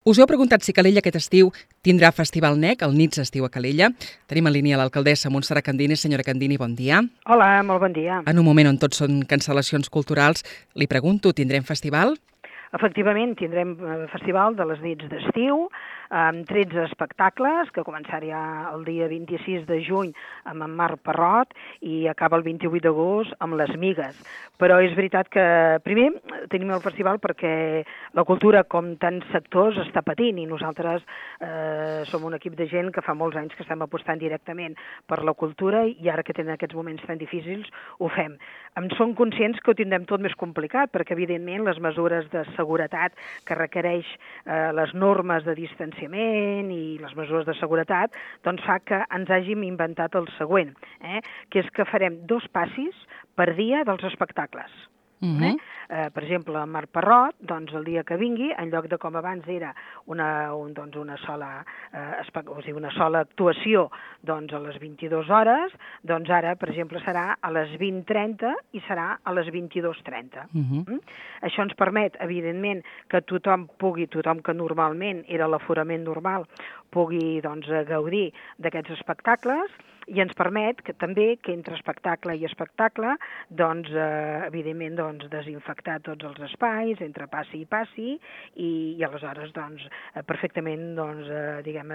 Us heu preguntat si Calella aquest estiu tindrà Festival NEC, el Nits Estiu a Calella. Tenim en línia l'alcaldessa Montserrat Candini. Senyora Candini, bon dia. Hola, molt bon dia. En un moment on tots són cancel·lacions culturals, li pregunto, tindrem festival? Efectivament, tindrem festival de les nits d'estiu, amb 13 espectacles, que començarà el dia 26 de juny amb en Marc Parrot i acaba el 28 d'agost amb les Migues. Però és veritat que primer tenim el festival perquè la cultura, com tants sectors, està patint i nosaltres som un equip de gent que fa molts anys que estem apostant directament per la cultura i ara que tenen aquests moments tan difícils ho fem. Som conscients que ho tindrem tot més complicat perquè evidentment les mesures de seguretat que requereix les normes de distanciament i les mesures de seguretat, doncs fa que ens hàgim inventat el següent, que és que farem 2 passis per dia dels espectacles. Per exemple, el Marc Parrot, doncs el dia que vingui, en lloc de com abans era una sola actuació doncs a les 22 hores, doncs ara, per exemple, serà a les 20:30 i serà a les 22:30. Això ens permet, evidentment, que tothom que normalment era l'aforament normal, pugui doncs, gaudir d'aquests espectacles i ens permet que també que entre espectacle i espectacle doncs, evidentment doncs, desinfectar tots els espais entre passi i passi i aleshores doncs, perfectament doncs,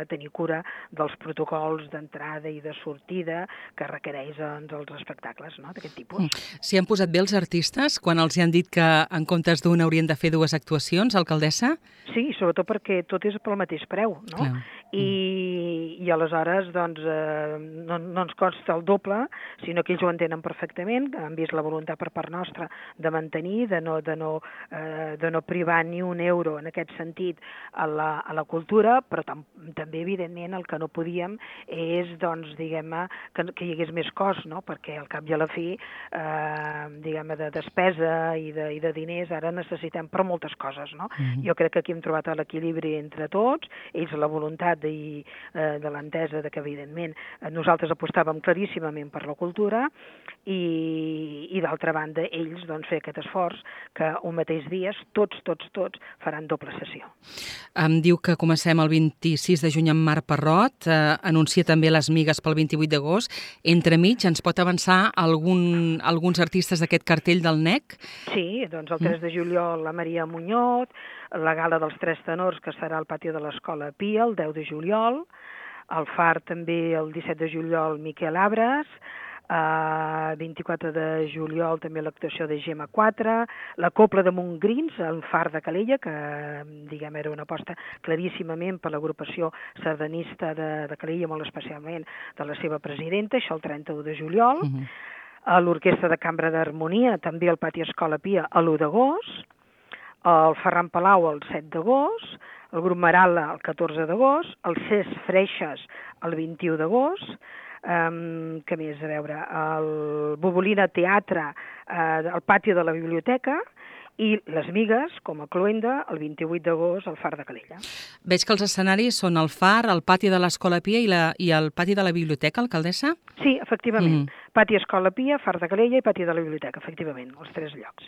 tenir cura dels protocols d'entrada i de sortida que requereix doncs, els espectacles, no?, d'aquest tipus. S'hi han posat bé els artistes quan els han dit que en comptes d'una haurien de fer 2 actuacions, alcaldessa? Sí, sobretot perquè tot és pel mateix preu, no? Clar. I aleshores doncs, no ens costa el doble, sinó que ells ho entenen perfectament, han vist la voluntat per part nostra de mantenir, de no privar ni un euro en aquest sentit a la cultura, però també, evidentment, el que no podíem és, doncs, diguem-ne, que hi hagués més cost, no?, perquè al cap i a la fi, diguem-ne, de despesa i de diners ara necessitem per moltes coses, no? Jo crec que aquí hem trobat l'equilibri entre tots, ells la voluntat de l'entesa de que, evidentment, nosaltres apostàvem claríssimament per la cultura i d'altra banda, ells doncs, fer aquest esforç que un mateix dia tots faran doble sessió. Em diu que comencem el 26 de juny amb Marc Parrot, anuncia també les Migues pel 28 d'agost. Entremig, ens pot avançar alguns artistes d'aquest cartell del NEC? Sí, doncs el 3 de juliol la Maria Muñoz, la gala dels 3 tenors que serà al pati de l'Escola Pia el 10 de juliol, al Far també el 17 de juliol Miquel Abres, 24 de juliol també l'actuació de Gemma 4, la Copla de Montgrins, el Far de Calella, que diguem era una aposta claríssimament per l'agrupació sardanista de Calella, molt especialment de la seva presidenta, això el 31 de juliol, l'Orquestra de Cambra d'Harmonia, també al pati Escola Pia, l'1 d'agost, el Ferran Palau el 7 d'agost, el grup Marala el 14 d'agost, el Cesc Freixes el 21 d'agost, què més, a veure, el Bobolina Teatre al pati de la biblioteca i les Migues, com a cloenda, el 28 d'agost al Far de Calella. Veig que els escenaris són el Far, el pati de l'Escola Pia i el pati de la biblioteca, alcaldessa? Sí, efectivament. Pati Escola Pia, Far de Calella i pati de la biblioteca, efectivament, els 3 llocs.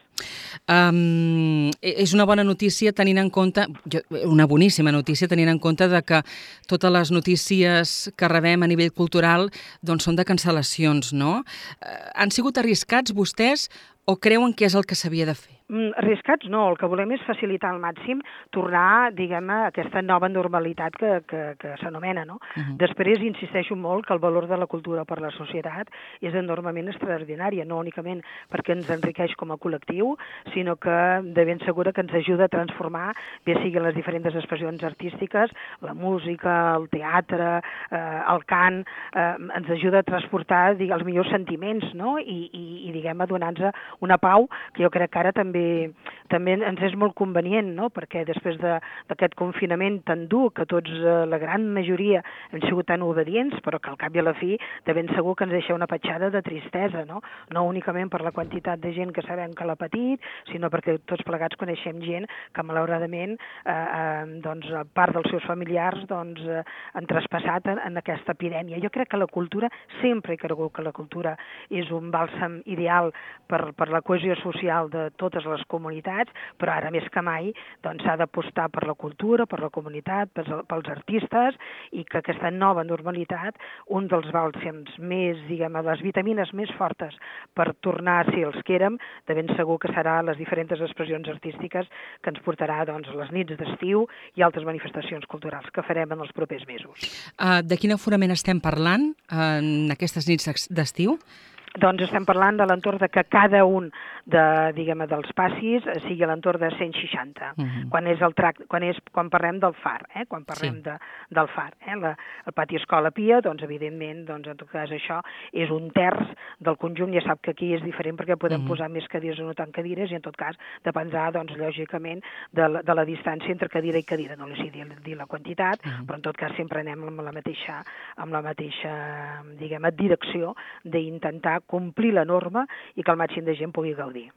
És una bona notícia tenint en compte, una boníssima notícia tenint en compte de que totes les notícies que rebem a nivell cultural doncs són de cancel·lacions, no? Han sigut arriscats vostès o creuen que és el que s'havia de fer? Arriscats no, el que volem és facilitar al màxim tornar, diguem-ne, a aquesta nova normalitat que s'anomena, no? Després insisteixo molt que el valor de la cultura per la societat és enormement extraordinària, no únicament perquè ens enriqueix com a col·lectiu, sinó que de ben segura que ens ajuda a transformar, bé sigui les diferents expressions artístiques, la música, el teatre, el cant, ens ajuda a transportar els millors sentiments, no? I diguem-ne, donar-nos una pau que jo crec que ara també ens és molt convenient, no?, perquè després d'aquest confinament tan dur, que tots, la gran majoria, hem sigut tan obedients, però que al cap i a la fi de ben segur que ens deixa una petjada de tristesa, no? No únicament per la quantitat de gent que sabem que l'ha patit, sinó perquè tots plegats coneixem gent que malauradament doncs, part dels seus familiars doncs, han traspassat en aquesta epidèmia. Jo crec que la cultura, sempre he cregut que la cultura és un bàlsam ideal per la cohesió social de totes les comunitats, però ara més que mai doncs, s'ha d'apostar per la cultura, per la comunitat, pels artistes, i que aquesta nova normalitat, un dels bàlsams més, diguem, les vitamines més fortes per tornar a ser els que érem, de ben segur que serà les diferents expressions artístiques que ens portarà doncs, les nits d'estiu i altres manifestacions culturals que farem en els propers mesos. De quin aforament estem parlant en aquestes nits d'estiu? Doncs estem parlant de l'entorn de que cada un dels passis sigui a l'entorn de 160, quan parlem del far, quan parlem del far. El pati Escola Pia, doncs evidentment, doncs en tot cas això és un terç del conjunt, ja sap que aquí és diferent perquè podem posar més cadires o no tant cadires, i en tot cas dependrà, doncs, lògicament, de la distància entre cadira i cadira, no li sé dir la quantitat, però en tot cas sempre anem amb la mateixa diguem, direcció d'intentar complir la norma i que el màxim de gent pugui gaudir.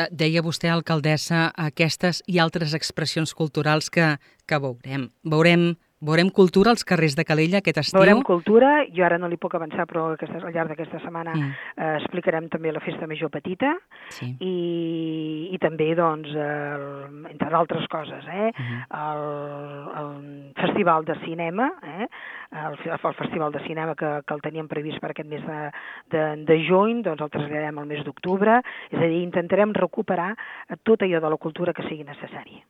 Deia vostè, alcaldessa, aquestes i altres expressions culturals que veurem. Veurem cultura als carrers de Calella aquest estiu? Veurem cultura, jo ara no li puc avançar, però al llarg d'aquesta setmana explicarem també la Festa Major Petita i també, doncs, entre d'altres coses, el Festival de Cinema, el Festival de Cinema que el teníem previst per aquest mes de juny, doncs el traslladem al mes d'octubre, és a dir, intentarem recuperar tot allò de la cultura que sigui necessari.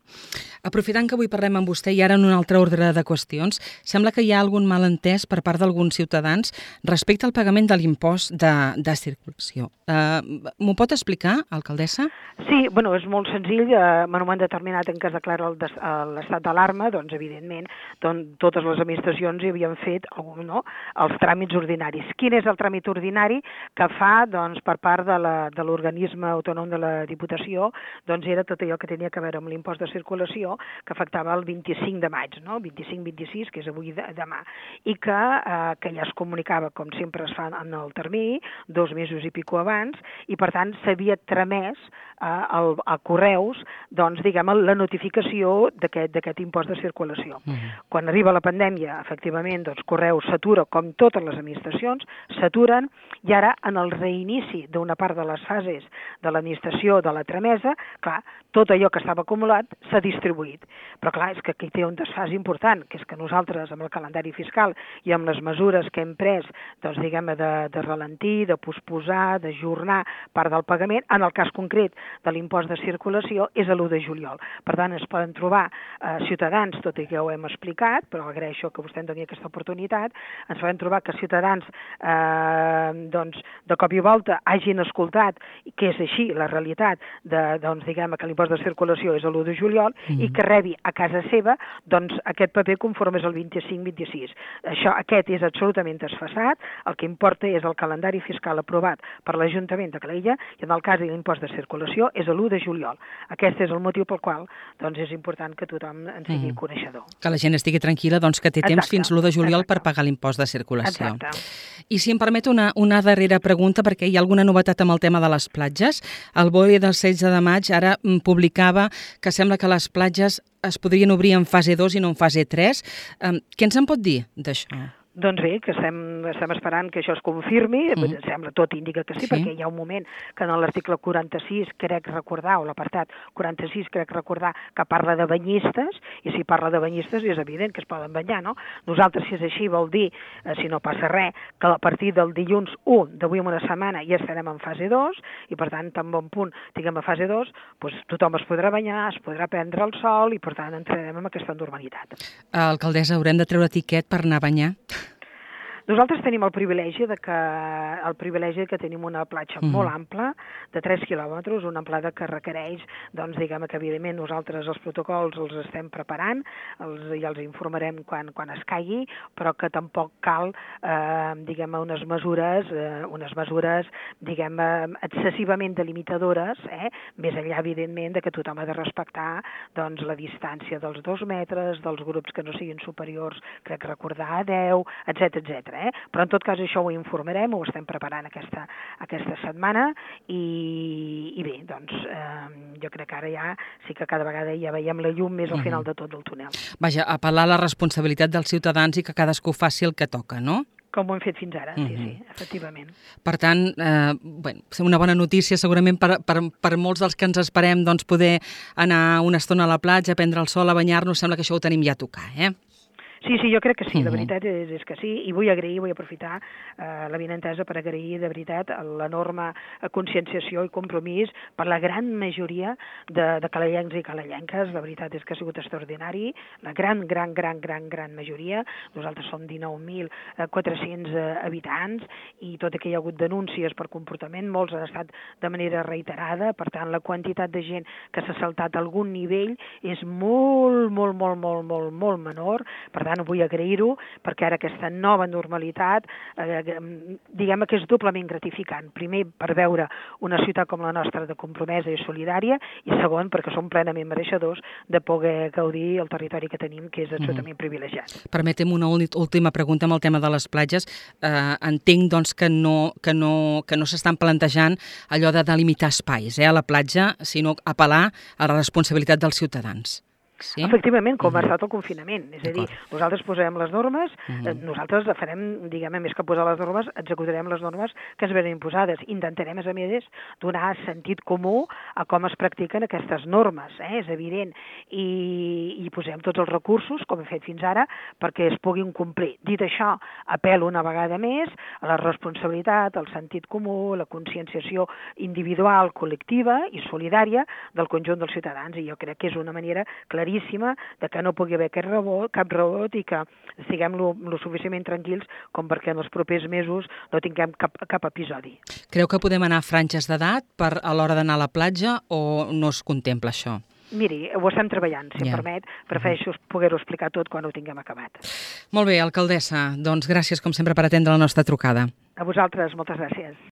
Aprofitant que avui parlem amb vostè i ara en un altre ordre de qüestions, sembla que hi ha algun malentès per part d'alguns ciutadans respecte al pagament de l'impost de circulació. M'ho pot explicar, alcaldessa? Sí, bueno, és molt senzill. En un moment determinat en què es declara l'estat d'alarma, doncs, evidentment, totes les administracions hi havien fet els tràmits ordinaris. Quin és el tràmit ordinari que fa, doncs, per part de l'organisme autònom de la Diputació? Doncs era tot allò que tenia a veure amb l'impost de circulació, que afectava el 25 de maig, no? 25-26, que és avui demà, i que ja es comunicava, com sempre es fa en el termini, 2 mesos i pico abans, i per tant s'havia tramès a correus, doncs, diguem, la notificació d'aquest impost de circulació. Quan arriba la pandèmia, efectivament, doncs, Correus s'atura, com totes les administracions, s'aturen, i ara, en el reinici d'una part de les fases de l'administració de la tramesa, clar, tot allò que estava acumulat s'ha distribuït. Però clar, és que aquí té un desfàs important, que és que nosaltres, amb el calendari fiscal i amb les mesures que hem pres, doncs, diguem, de ralentir, de posposar, d'ajornar part del pagament, en el cas concret de l'impost de circulació, és a l'1 de juliol. Per tant, es poden trobar ciutadans, tot i que ja ho hem explicat, però agraeixo que vostè em doni aquesta oportunitat, ens poden trobar que ciutadans, doncs, de cop i volta hagin escoltat, que és així la realitat, doncs, diguem, que l'impost de circulació és l'1 de juliol, i que rebi a casa seva, doncs, aquest paper conforme és el 25-26. Aquest és absolutament desfasat, el que importa és el calendari fiscal aprovat per l'Ajuntament de Calella, i en el cas de l'impost de circulació és l'1 de juliol. Aquest és el motiu pel qual, doncs, és important que tothom en sigui coneixedor. Que la gent estigui tranquil·la, doncs, que té temps fins l'1 de juliol per pagar l'impost de circulació. Exacte. I si em permet una darrera pregunta, perquè hi ha alguna novetat amb el tema de les platges. El BOE del 16 de maig ara publicava que sembla que les platges es podrien obrir en fase 2 i no en fase 3. Què ens en pot dir d'això? Doncs bé, que estem esperant que això es confirmi, sembla, tot indica que sí, perquè hi ha un moment que en l'article 46, crec recordar, o l'apartat 46, crec recordar, que parla de banyistes, i si parla de banyistes és evident que es poden banyar, no? Nosaltres, si és així, vol dir, si no passa res, que a partir del dilluns 1 d'avui en una setmana ja estarem en fase 2, i per tant, tan bon punt tinguem a fase 2, doncs tothom es podrà banyar, es podrà prendre el sol, i per tant entrarem en aquesta normalitat. Alcaldessa, haurem de treure tiquet per anar a banyar? Nosaltres tenim el privilegi que tenim una platja molt ampla, de 3 quilòmetres, una amplada que requereix, doncs, diguem que evidentment nosaltres els protocols els estem preparant, i els informarem quan es caigui, però que tampoc cal, diguem, unes mesures, diguem, excessivament delimitadores, més enllà, evidentment, de que tothom ha de respectar, doncs, la distància dels 2 metres, dels grups que no siguin superiors, crec recordar, a 10, etc. Però en tot cas això ho informarem, ho estem preparant aquesta setmana, i bé, doncs jo crec que ara ja sí que cada vegada ja veiem la llum més al final de tot el túnel. Vaja, apel·lar a la responsabilitat dels ciutadans i que cadascú faci el que toca, no? com ho hem fet fins ara, sí, efectivament. Per tant, una bona notícia segurament per molts dels que ens esperem doncs, poder anar una estona a la platja, prendre el sol, a banyar-nos, sembla que això ho tenim ja a tocar, Sí, jo crec que sí, la veritat és que sí, i vull aprofitar l'avinentesa per agrair de veritat l'enorme conscienciació i compromís per la gran majoria de calalencs i calalenques, la veritat és que ha sigut extraordinari, la gran majoria, nosaltres som 19.400 habitants i tot i que hi ha hagut denúncies per comportament, molts han estat de manera reiterada, per tant la quantitat de gent que s'ha saltat algun nivell és molt menor, per tant vull agrair-ho perquè ara aquesta nova normalitat diguem que és doblement gratificant. Primer, per veure una ciutat com la nostra de compromesa i solidària i segon, perquè som plenament mereixedors de poder gaudir el territori que tenim, que és absolutament privilegiat. Permetem una última pregunta amb el tema de les platges. Entenc doncs, que no s'estan plantejant allò de delimitar espais a la platja, sinó apel·lar a la responsabilitat dels ciutadans. Sí? Efectivament, com ha estat el confinament. És a dir, nosaltres posarem les normes, nosaltres farem, diguem, més que posar les normes, executarem les normes que es venen imposades. Intentarem, a més, donar sentit comú a com es practiquen aquestes normes, és evident. I posem tots els recursos, com hem fet fins ara, perquè es puguin complir. Dit això, apel·lo una vegada més a la responsabilitat, al sentit comú, la conscienciació individual, col·lectiva i solidària del conjunt dels ciutadans. I jo crec que és una manera claríssima de que no pugui haver cap rebot i que estiguem lo suficientment tranquils com perquè en els propers mesos no tinguem cap episodi. Creu que podem anar a franges d'edat a l'hora d'anar a la platja o no es contempla això? Miri, ho estem treballant, si em permet. Prefereixo poder-ho explicar tot quan ho tinguem acabat. Molt bé, alcaldessa. Doncs gràcies, com sempre, per atendre la nostra trucada. A vosaltres, moltes gràcies.